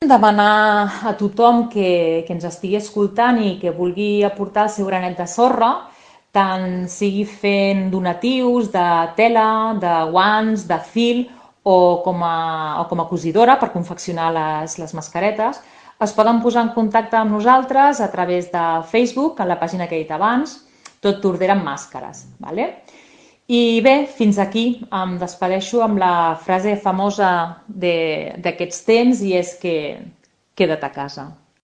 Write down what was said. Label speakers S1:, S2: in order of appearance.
S1: Demanar a tothom que ens estigui escoltant i que vulgui aportar el seu granet de sorra, tant sigui fent donatius de tela, de guants, de fil o com a cosidora per confeccionar les mascaretes, es poden posar en contacte amb nosaltres a través de Facebook, en la pàgina que he dit abans, Tot Tordera amb màscares. Vale? I bé, fins aquí em despedeixo amb la frase famosa d'aquests temps i és que queda't a casa.